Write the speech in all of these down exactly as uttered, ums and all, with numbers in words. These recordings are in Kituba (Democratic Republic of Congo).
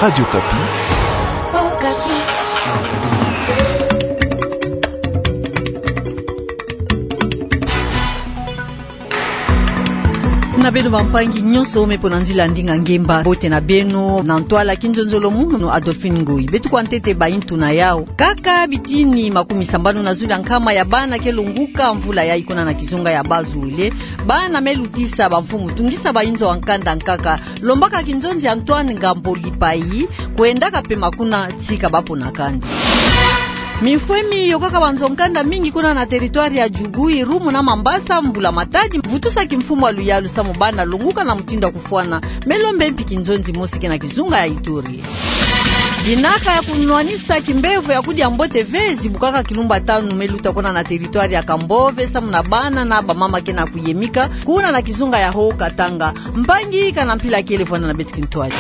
Radio Okapi. Na beno bampangi nyonso me pona nzila ndinga ngemba, mbote na beno. Na ntwala kinzonzolo munu, Adolphine Ngoyi. Beto kwa ntete bayi ntuna yawu. Kaka bitini makumi sambanu na zulu ya nkama ya bana ke longuka mvula yayi kuna na kizunga ya Bas-Uele. Bana me lutisa bamfumu tungisa bayinzo ya nkanda nkaka, lombaka kinzonzi Antoine Ngambo Lipayi, kwendaka pema kuna tika bapona kandi. Mifwemi yokaka banzo nkanda mingi kuna na territoire ya Djugu, Irumu na Mambasa, mbula matadi, vutusa kimfumu ya luyalu samu bana longuka na mutindu ya kufwana, me lombe mpi kinzonzi mosi ke na kizunga ya Ituri. Dinaka ya kunwanisa kimbevo ya kudia mbote ve zibukaka kilumbu tanu me luta kuna na territoire ya Kambove, samu na bana na bamama ke na kuyemika kuna na kizunga ya Haut-Katanga. Mpangi, kana mpila kele vwanda na beto kintwadi.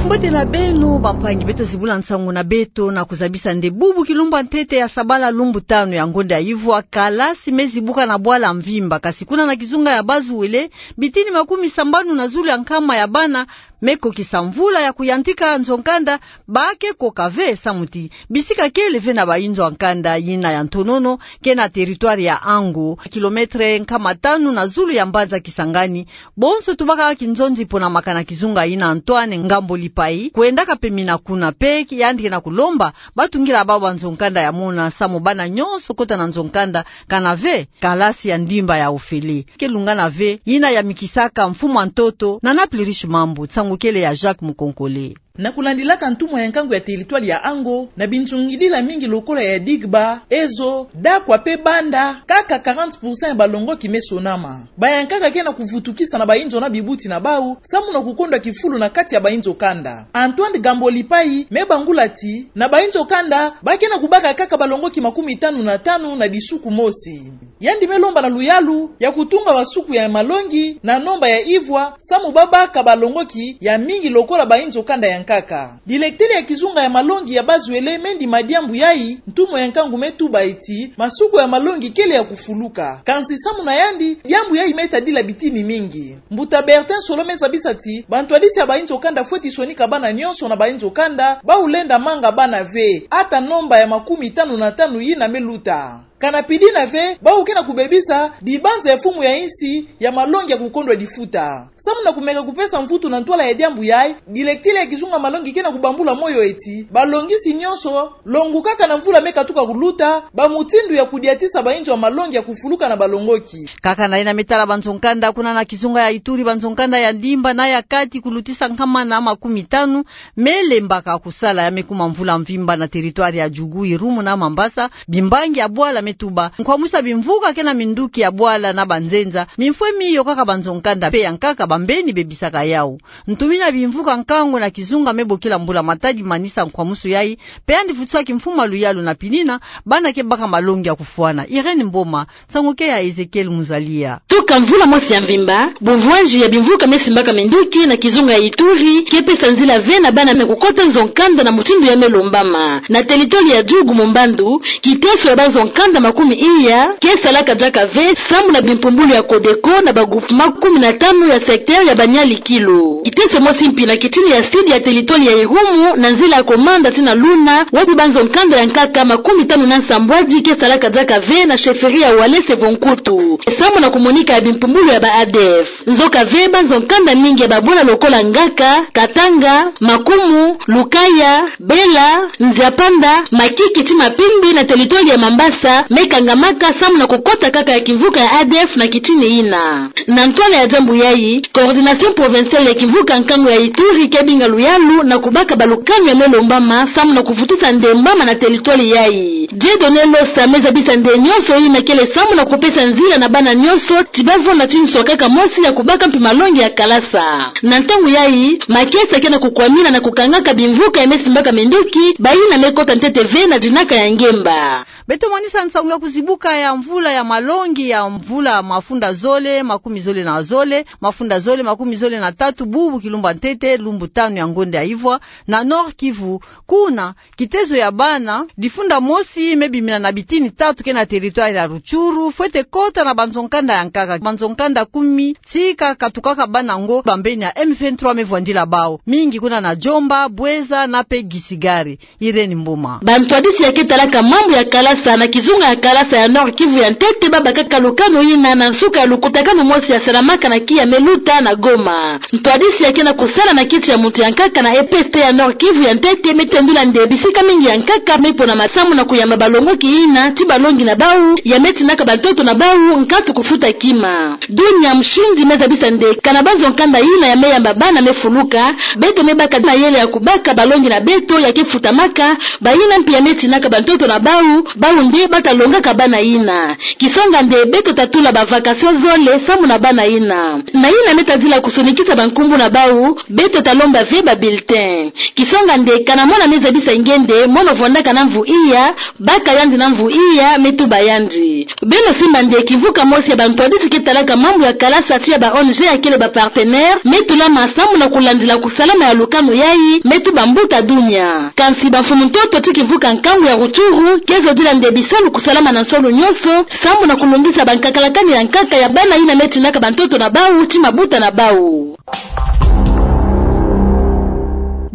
Mbote na beno bampangi, beto zibula nsangu na beto na kuzabisa nde bubu kilumbu ya ntete ya sabala, lumbu tanu ya ngonda ya ivwa, kalasi me zibuka na bwala mvimba, kasi kuna na kizunga ya Bas-Uele, bitini makumi sambanu na zulu ya nkama ya bana me kokisa mvula ya kuyantika nzo nkanda, ba ke koka ve samu ti bisika kele ve na bayinzo ya nkanda yina ya ntonono ke na territoire ya Ango, kilomètre nkama tanu na zulu ya mbanza Kisangani. Bonso tubaka kinzonzi pona makana kizunga yina Antoine Ngambo Lipayi, kwendaka pemina kuna, pe yandi ke na kulomba batungila bawu banzo nkanda ya mona samu bana nyonso kota na nzo nkanda, kana ve kalasi ya ndimba ya ofele. Ke lungana ve yina yamikisaka mfumu ya ntoto na Naples Riche Mambu, nsangu kele ya Jacques Mukonkole. Na kulandilaka ntumwa ya nkangu ya territoire ya Ango, na bintungidila mingi lokola ya Digba, Ezo, Dakwa pe Banda, kaka quarante pour cent ya balongoki me sonama. Bayankaka ke na kuvutukisa na bayinzo na bibuti na bawu, samu na kukondwa kifulu na kati ya bayinzo kanda. Antoine Ngambo Lipayi me bangula ti, na bayinzo kanda, ba ke na kubaka kaka balongoki makumi tanu na tanu na disuku mosi. Yandi me lomba na luyalu ya kutunga basuku ya malongi na nomba ya ivwa, samu babaka balongoki ya mingi lokola bayinzo kanda ya nkaka. Dilektele ya kizunga ya malongi ya Bas-Uele me ndima diambu yayi, ntumwa ya nkangu me tuba ti masuku ya malongi kele ya kufuluka. Kansi samu na yandi, diambu yayi me tadila bitini mingi. Mbuta Bertin Solo me zabisa ti bantwadisi ya bayinzo kanda fweti sonika bana nyonso na bayinzo kanda, bawu lenda manga bana ve, ata nomba ya makumi tanu na tanu yina me luta. Kana pidina ve, bawu ke na kubebisa dibanza ya mfumu ya insi ya malongi ya kukondwa difuta. Samu na kumeka kupesa mvutu na ntwala ya diambu yayi, dilektele ya kizunga malongi ke na kubambula moyo ti balongisi nyonso, longukaka na mvula me katuka kuluta, bâ mutindu ya kudiatisa bayinzo ya malongi ya kufuluka na balongoki. Kaka na yina me tala banzo nkanda, kuna na kizunga ya Ituri, banzo nkanda ya ndimba na ya kati, kulutisa nkama na makumi tanu, me lembaka kusala ya me kuma mvula mvimba na territoire ya Djugu, Irumu na Mambasa. Bimbangi ya bwala me tuba nkwamwisa bimvuka ke na minduki ya bwala na banzenza. Mifwemi yokaka banzo nkanda pe ya nkaka, bambeni bebisaka yawu. Ntumina bimvuka nkangu na kizunga me bokila mbula matadi manisa nkwamwiso yayi, pe yandi vutusaki mfumu ya luyalu na pidina bana ke baka malongi ya kufwana. Irène Mboma, nsangu ke ya Ezekiel Muzalia. Tuka mvula mosi ya mvimba, bumvwanji ya bimvuka me simbaka minduki na kizunga ya Ituri, ke pesa nzila ve na bana me kukota nzo nkanda na mutindu ya me lombama. Na territoire ya Djugu, Mumbandu, kiteso ya banzo nkanda makumi iya ke salaka diaka ve, samu na bimpumbulu ya Codeco na ba groupement kumi na tanu ya secteur ya Baniali-Kilo. Kiteso mosi mpi na kitini ya sud ya territoire ya Irumu, na nzila ya Komanda tii na Luna, wapi banzo nkanda ya nkaka makumi tanu na nsambwadi ke salaka diaka ve na chefferie ya Walese vo Nkutu, samu na kumonika ya bimpumbulu ya ba A D F. Nzoka ve, banzo nkanda mingi ya babwala lokola Ngaka, Katanga, Makumu, Lukaya, Bela, Nziapanda, Makiki tii Mapimbi na territoire ya Mambasa me kangamaka samu na kukota kaka ya kimvuka ya A D F na kitini yina. Na ntwala ya diambu yayi, coordination provinciale ya kimvuka nkangu ya Ituri ke binga luyalu na kubaka balukanu ya me lombama samu na kuvutusa ndembama na territoire yayi. Dieudonné Losa me zabisa nde nyonso yina kele samu na kupesa nzila na bana nyonso ti bavwanda ti nswa kaka mosi ya kubaka mpi malongi ya kalasa. Na ntangu yayi, makesa ke na kukwamina na kukangaka bimvuka ya me simbaka minduki, bayina me kota ntete ve na dinaka ya ngemba. Beto mwanisa nsangu ya kuzibuka ya mvula ya malongi ya mvula mafunda zole, makumi zole na zole, mafunda zole makumi zole na tatu, bubu kilumbu ya ntete, lumbu tanu ya ngonde ya ivwa, na Nord-Kivu. Kuna, kitezo ya bana, difunda mosi me bimina na bitini tatu ke na territoire ya Rutshuru, fwete kota na banzo-nkanda ya nkaka, banzo-nkanda kumi, tika katukaka bana ngo, bambeni ya M vingt-trois me vwandila bau. Mingi kuna na Djomba, Bouenza, na pe Gisigari. Irène Mboma. Bantwadisi ya ke talaka mambu ya kalasa na kizunga ya kalasa ya Nord-Kivu ya ntete babakaka lukanu yina na nsuka ya lukutakanu mosi ya salamaka na kiya me luta na Goma. Ntwadisi ya ke na kusala na kiti ya muntu ya nkaka na E P S T ya Nord-Kivu ya ntete me tendula nde bisika mingi ya nkaka me ponama samu na kuyamba balongoki yina ti balongi na bau ya me tinaka bantoto na bau nkatu kufuta kima. Dunia Mshindi me zabisa nde kana banzo-nkanda yina ya me yamba bana me fuluka, beto me baka mayele ya kubaka balongi na beto ya ke futamaka, bayina mpi ya me tinaka bantoto na bau, bau nde bata longaka bana yina. Kisonga nde beto ta tula ba vacation zole samu na bana yina. Na yina me tadila kusonikisa bankumbu na bau, beto ta lomba ve ba bulletin. Kisonga nde kana mwana me zabisa nge nde mono vwandaka na mvu iya, baka yandi na mvu iya, me tuba yandi. Beno simba nde kimvuka mosi ya bantwadisi ke talaka mambu ya kalasa ti ya ba O N G ya kele ba partenaire, me tulama samu na kulandila kusalama ya lukanu yayi, me tuba mbuta dunia. Kansi bamfumu-ntoto ti kimvuka nkangu ya Rutshuru ke zodila nde bisalu kusalama na nsolo nyonso, samu na kulungisa bankakalakani ya nkaka ya bana yina me tinaka bantoto na bau ti mabuta na bau.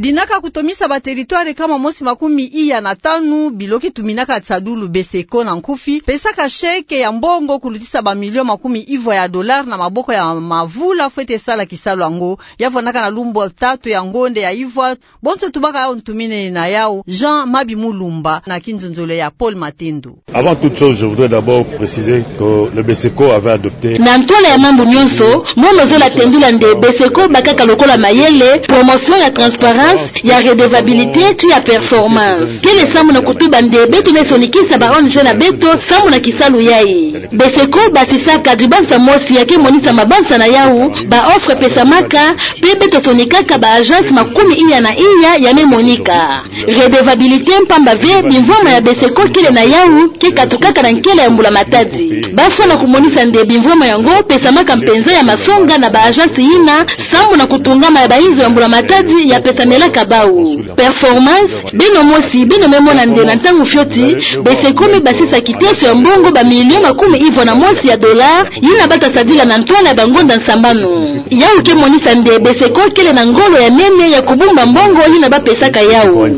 Dinaka kutomisa ba territoire kama mosi makumi iya na tanu, bilo ke tuminaka tiadulu BESECO na nkufi, pesaka chèque ya mbongo kulutisa ba million makumi ivwa ya dollar na maboko ya mavula fwete sala kisalu yango, ya vwandaka na lumbu tatu ya ngonde ya ivwa. Bonso tubaka yau ntumine na yau Jean Mabi Mulumba na kinzonzolo ya Paul Matendo. Avant toute chose, je voudrais d'abord préciser que le BESECO avait adopté... Na ntwala ya mambu nyonso, mono zola tendula nde BESECO bakaka lokola mayele, promotion ya transparence, ya redevabilité, ti ya performance. Kele samu na kutuba nde beto me sonikisa ba O N G na beto samu na kisalu yayi. BESECO basisaka dibansa mosi ya ke monisa mabansa na yau, ba offre pesamaka, pe beto sonikaka ba agence makumi iya na iya ya me monika redevabilité, mpamba ve bimvwama ya BESECO kele na yau ke katukaka na nkela ya mbula-matadi. Bafwana kumonisa nde bimvwama yango pesamaka mpenza ya masonga na ba agence yina, samu na kutungama ya bainzo ya mbula-matadi ya pesamelaka bau. Performance, beno mosi beno me mona nde na ntangu fioti, BESECO me basisa kiteso ya mbongo ba million makumi ivwa na mosi ya dollar, yina bata sadila na ntwala ya bangonda nsambanu. Yau ke monisa nde BESECO kele na ngolo ya nene ya kubumba mbongo yina bapesaka yau.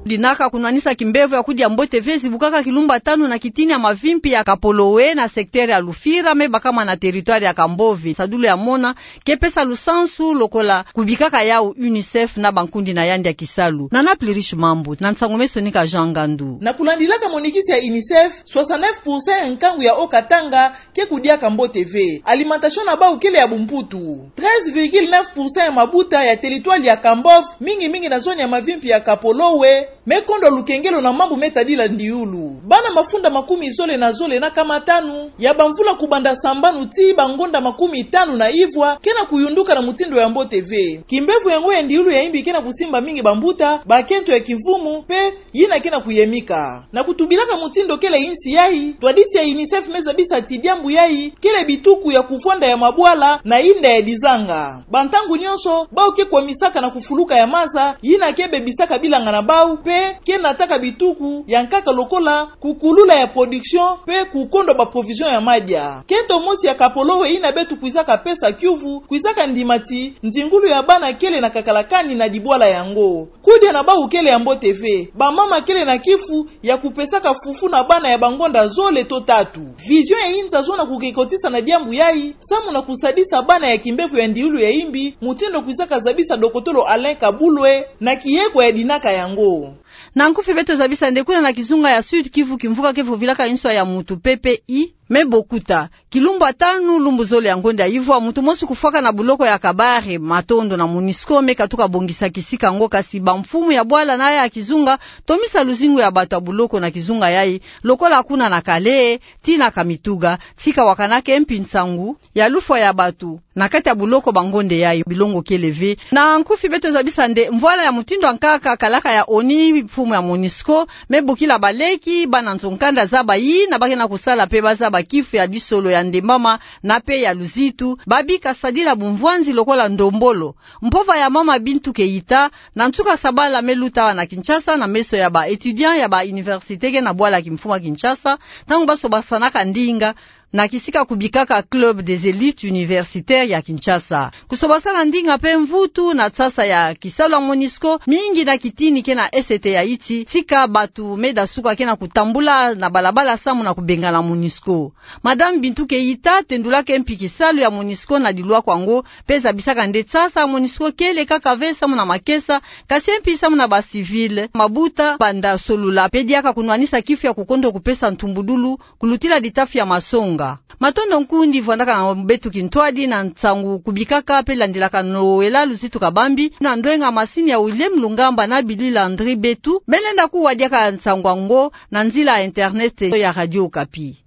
Dinaka kunwanisa kimbevo ya kudia mbote ve zibukaka kilumbu tanu na kitini ya mavimpi ya Kapolowe na secteur ya Lufira, me bakama na territoire ya Kambove. Sadulu ya mona ke pesa lusansu lokola kubikaka yau UNICEF na bankundi na yandi ya kisalu. Nana Plurish Mambu na nsangu me sonika Jean Ngandu. Na kulandilaka monikisi ya UNICEF, soixante-neuf pour cent ya nkangu ya Haut-Katanga ke kudiaka mbote ve. Alimentation na bau kele ya bumputu. Treize virgule neuf pour cent ya mabuta ya territoire ya Kambove, mingi mingi na zone ya mavimpi ya Kapolowe, me kondwa lukengelo na mambu me tadila ndiulu. Bana mafunda makumi zole na zole na kama tanu ya bamvula kubanda sambanu tii bangonda makumi tanu na ivwa ke na kuyunduka na mutindu ya mbote ve. Kimbevo yango ya ndiulu ya imbi ke na kusimba mingi bambuta, bakento ya kimvumu, pe yina ke na kuyemika. Na kutubilaka mutindu kele insi yayi, ntwadisi ya UNICEF me zabisa ti diambu yayi kele bituku ya kuvwanda ya mabwala na inda ya dizanga. Bantangu nyonso, bau ke kwamisaka na kufuluka ya maza, yina ke bebisaka bilanga na bau, pe ke nataka bituku ya nkaka lokola kukulula ya production, pe kukondwa ba provision ya madia. Kento mosi ya Kapolowe yina beto kwizaka pesa kiuvu, kwizaka ndima ti nzingulu ya bana kele na kakalakani na dibwala yango. Kudia na bau kele ya mbote ve. Bamama kele na kifu ya kupesaka fufu na bana ya bangonda zole to tatu. Vision ya inza zo na kukekotisa na diambu yayi, samu na kusadisa bana ya kimbevo ya ndiulu ya imbi, mutindu kwizaka zabisa dokotolo Alain Kabulwe na kiyeko ya dinaka yango. Na nkufi beto zabisa nde kuna na kizunga ya Sud-Kivu, kimvuka ke vovilaka nswa ya mutu P P I me bokuta. Kilumbu tanu, lumbu zole ya ngonda ya ivwa, mutu mosi kufwaka na buloko ya Kabare. Matondo na MONUSCO me katuka bongisa kisika yango, kasi bamfumu ya bwala na ya kizunga, tomisa luzingu ya bato ya buloko na kizunga yayi, lokola kuna na Kale tii na Kamituga, tika wakanaka mpi nsangu ya lufwa ya bato na kati ya buloko bangonda yayi. Bilongo kele ve. Na nkufi beto zabisa nde mvwala ya mutindu ya nkaka kalaka ya ONU, mfumu ya MONUSCO me bokila baleki, bana nzo-nkanda zaba yina ba ke na kusala pe bazaba kifu ya disolo ya ndembama na pe ya luzitu, babi kasadila bumvwanzi lokola ndombolo. Mpova ya mama Bintou Keita, na nsuka sabala me luta awa na Kinshasa na meso ya ba étudiants ya ba université ke na bwala kimfumu ya Kinshasa, ntango basobasanaka ndinga na kisika kubikaka Club des élites universitaires ya Kinshasa. Kusobasana ndinga pe mvutu na nsasa ya kisalu ya MONUSCO, mingi na kitini ke na esete ya iti, tika bato me dasuka ke na kutambula na balabala samu na kubengana MONUSCO. Madame Bintou Keita tendulaka mpi kisalu ya MONUSCO na lilwako yango, pe zabisaka nde nsasa ya MONUSCO kele kaka ve samu na makesa, kasi mpi samu na ba civils, mabuta, banda solula, pe diaka kunwanisa kifu ya kukondo kupesa ntumbudulu, kulutila ditafi ya masonga. Matondo nkundi vwandaka na beto kintwadi na nsangu kubikaka pe landilaka nowela luzitu kabambi, na ndwenga masini ya William Lungamba na Billy Landry Betu, me lenda kuwa diaka nsangu yango na nzila ya internet ya Radio Okapi.